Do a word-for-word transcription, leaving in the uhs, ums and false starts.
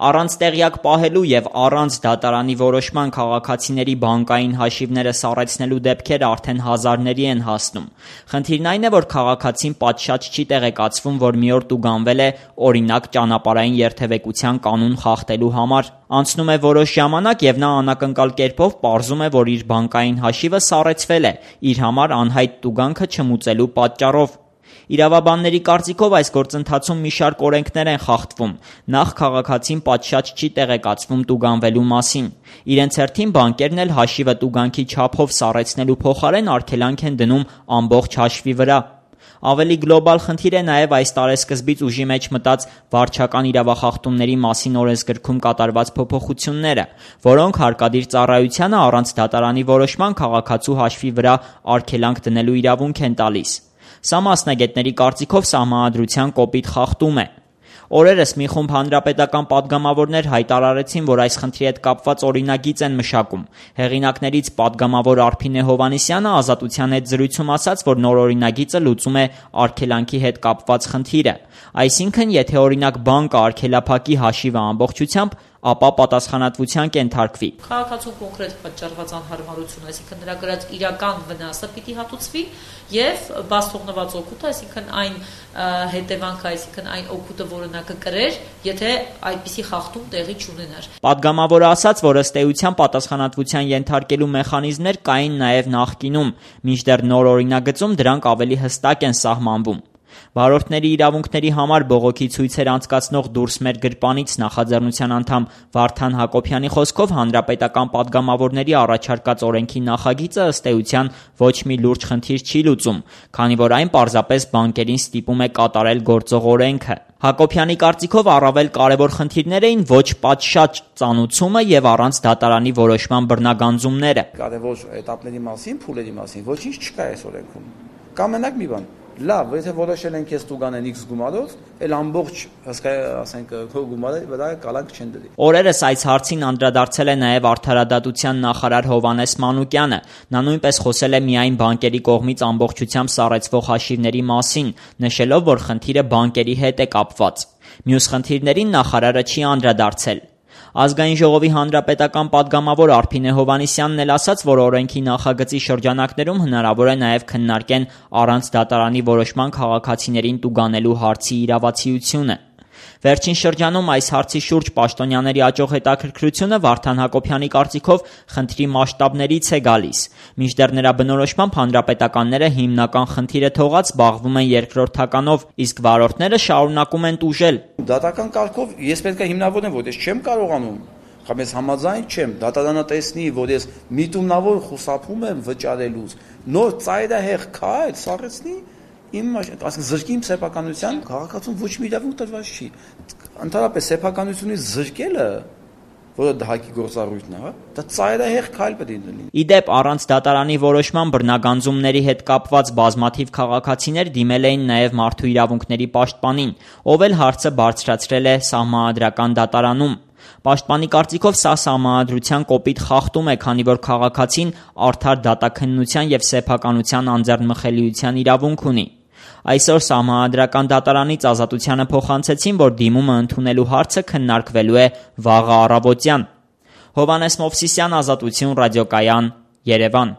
Առանց տեղյակ պահելու եւ առանց դատարանի որոշման քաղաքացիների բանկային հաշիվները սառեցնելու դեպքերը արդեն հազարների են հասնում։ Խնդիրն այն է, որ քաղաքացին պատշաճ չի տեղեկացվում, որ մի օր տուգանվել է օրինակ ճանապարհային երթևեկության կանոն խախտելու համար։ Անցնում է որոշ ժամանակ եւ նա անակնկալ կերպով պարզում է, որ իր բանկային հաշիվը սառեցվել է իր համար անհայտ տուգանքը չմուծելու պատճառով։ Իրավաբանների կարծիքով այս գործընթացում մի շարք օրենքներ են խախտվում։ Նախ քաղաքացին պատշաճ չի տեղեկացվում տուգանվելու մասին։ Իրենց հերթին բանկերն էլ հաշիվը տուգանքի չափով սառեցնելու փոխարեն արգելանք են դնում ամբողջ հաշվի վրա։ Ավելի գլոբալ խնդիր է նաև այս տարեսկզբից ուժի մեջ մտած վարչական իրավախախտումների մասին օրենսգրքում կատարված փոփոխությունները, որոնք հարկադիր ծառայությանը առանց դատարանի որոշման քաղաքացու հաշվի վրա արգելանք դնելու իրավունք են տալիս։ Սա մասնագետների կարծիքով սահմանադրության կոպիտ խախտում է։ Օրերս մի խումբ հանրապետական պատգամավորներ հայտարարեցին, որ այս խնդրի հետ կապված օրինագիծ են մշակում։ Հեղինակներից պատգամավոր Արփինե Հովհաննիսյանը Ազատության հետ զրույցում ասաց, որ նոր օրինագիծը լուծում է արգելանքի հետ կապված խնդիրը։ Այսինքն, եթե օրինակ բանկը արգելափակի հաշիվը ամբողջությամբ, ապա պատասխանատվության կենթարկվի։ Քաղաքացու կոնկրետ պատճառված անհարմարություն, այսինքն նրա գրած իրական վնասը պիտի հատուցվի եւ բաց թողնված օգուտը, այսինքն այն հետևանքը, այսինքն այն օգուտը, որը նա կկրեր, եթե այդպիսի խախտում տեղի չունենար։ Պատգամավորը ասաց, որ ըստ էության պատասխանատվության ենթարկելու մեխանիզմներ կային նաեւ նախկինում, մինչդեռ նոր օրինագծում դրանք ավելի հստակ են սահմանվում։ Վարորդների իրավունքների համար բողոքի ցույցեր անցկացնող «Դուրս մեր գրպանից» նախաձեռնության անդամ Վարդան Հակոբյանի խոսքով հանրապետական պատգամավորների առաջարկած օրենքի նախագիծը ըստ էության ոչ մի լուրջ խնդիր չի լուծում, քանի որ այն պարզապես բանկերին ստիպում է կատարել գործող օրենքը։ Հակոբյանի կարծիքով առավել կարևոր խնդիրներ էին ոչ պատշաճ ծանուցումը եւ առանց դատարանի որոշման բռնագանձումները։ Կարևոր էտապների մասին, փուլերի մասին ոչինչ չկա այս օրենքում։ Կա մենակ մի բան. լավ, եթե որոշել են քեզ տուգանեն X գումարով, էլ ամբողջ հսկա ասենք քո գումարը վրա կալանք չեն դրի։ Օրերս այս հարցին անդրադարձել է նաև Արդարադատության նախարար Հովհաննես Մանուկյանը։ Նա նույնպես խոսել է միայն բանկերի կողմից ամբողջությամբ սառեցվող հաշիվների մասին, նշելով, որ խնդիրը բանկերի հետ է կապված։ Մյուս խնդիրներին նախարարը չի անդրադարձել։ Ազգային ժողովի հանրապետական պատգամավոր Արփինե Հովհաննիսյանն էլ ասաց, որ օրենքի նախագծի շրջանակներում հնարավոր է նաև քննարկեն առանց դատարանի որոշման քաղաքացիներին տուգանելու հարցի իրավացիությունը։ Վերջին շրջանում այս հարցի շուրջ պաշտոնյաների աճող հետաքրքրությունը Վարդան Հակոբյանի կարծիքով խնդրի մասշտաբներից է գալիս։ Մինչդեռ նրա բնորոշմամբ հանրապետականները հիմնական խնդիրը թողած զբաղվում են երկրորդականով, իսկ վարորդները շարունակում են տուժել։ Դատական կարգով ես պետք է հիմնավորեմ, որ ես չեմ կարողանում, կամ ես համաձայն չեմ, դատարանը տեսնի, որ ես միտումնավոր խուսափում եմ վճարելուց, նոր ծայրահեղ քայլ սառեցնի իմ ասենք զրկի իմ սեփականության, քաղաքացուն ոչ մի իրավունք տրված չի։ Ընդհանրապես սեփականությունից զրկելը, որը դահակի գործառույթն է, դա ծայրահեղ քայլ պետք է լինի։ Իդեպ առանց դատարանի որոշման բռնագանձումների հետ կապված բազմաթիվ քաղաքացիներ դիմել էին նաև մարդու իրավունքների պաշտպանին, ով էլ հարցը բարձրացրել է սահմանադրական դատարանում։ Պաշտպանի կարծիքով սա սահմանադրության կոպիտ խախտում է, քանի որ քաղաքացին արդար դատաքննության եւ սեփականության անձեռնմխելիության իրավունք ունի։ Այսօր սահմանադրական դատարանից Ազատությանը փոխանցեցին, որ դիմումը ընդունելու հարցը քննարկվելու է վաղը առավոտյան։ Հովհաննես Մովսիսյան, Ազատություն ռադիոկայան, Երևան։